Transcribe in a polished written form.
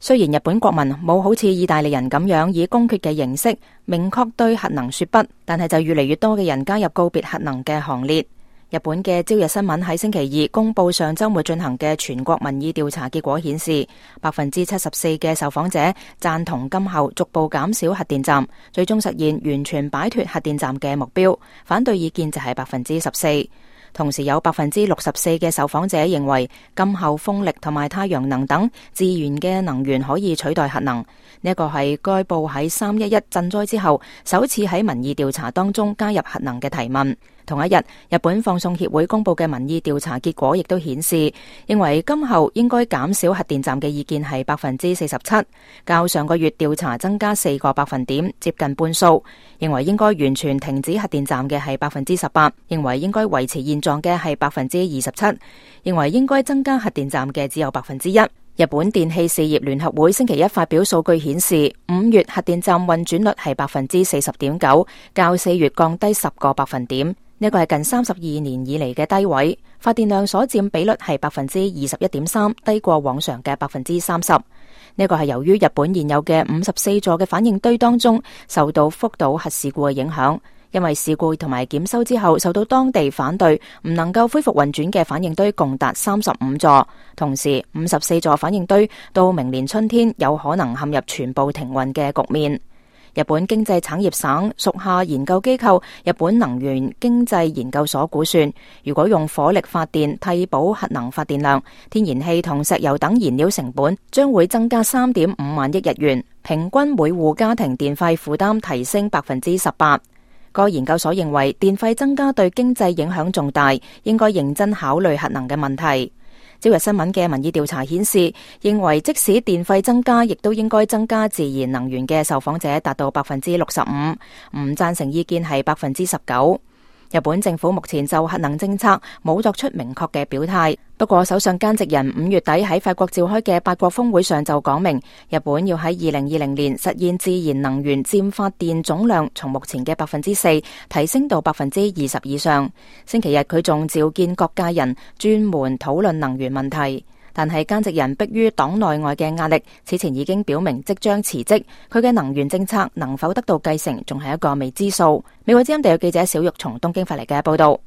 雖然日本國民冇好似意大利人咁樣以公決嘅形式明確對核能說不，但係就越嚟越多嘅人加入告別核能嘅行列。日本嘅朝日新聞喺星期二公布上週末進行嘅全國民意調查結果顯示，74%嘅受訪者贊同今後逐步減少核電站，最終實現完全擺脫核電站嘅目標。反對意見就係14%。同時有64%嘅受訪者認為今後風力同埋太陽能等自然嘅能源可以取代核能。呢一個係該報喺311震災之後首次喺民意調查當中加入核能嘅提問。同一日，日本放送協會公布嘅民意調查結果亦都顯示，認為今後應該減少核電站嘅意見係47%，較上個月調查增加4個百分點，接近半數。認為應該完全停止核電站嘅係18%，認為應該維持現狀嘅係27%，認為應該增加核電站嘅只有1%。日本電氣事業聯合會星期一發表數據顯示，5月核電站運轉率係40.9%，較4月降低10個百分點。呢個係近32年以嚟嘅低位，發電量所佔比率係21.3%，低過往常嘅30%。呢個係由於日本現有嘅54座嘅反應堆當中受到福島核事故嘅影響，因為事故同埋檢修之後受到當地反對，唔能夠恢復運轉嘅反應堆共達35座，同時54座反應堆到明年春天有可能陷入全部停運嘅局面。日本經濟產業省屬下研究機構日本能源經濟研究所估算，如果用火力發電替補核能發電量，天然氣同石油等燃料成本將會增加3.5萬億日元，平均每戶家庭電費負擔提升18%。該研究所認為電費增加對經濟影響重大，應該認真考慮核能嘅問題。朝日新聞嘅民意調查顯示，認為即使電費增加，亦都應該增加自然能源嘅受訪者達到65%，唔贊成意見係19%。日本政府目前就核能政策冇作出明確嘅表態，不過首相菅直人5月底喺法國召開嘅8國峰會上就講明，日本要喺2020年實現自然能源佔發電總量從目前嘅4%提升到20%以上。星期日佢仲召見各界人專門討論能源問題。但係菅直人迫於黨內外嘅壓力，此前已經表明即將辭職，佢嘅能源政策能否得到繼承，仲係一個未知數。美國之音地有記者小玉從東京發嚟嘅報道。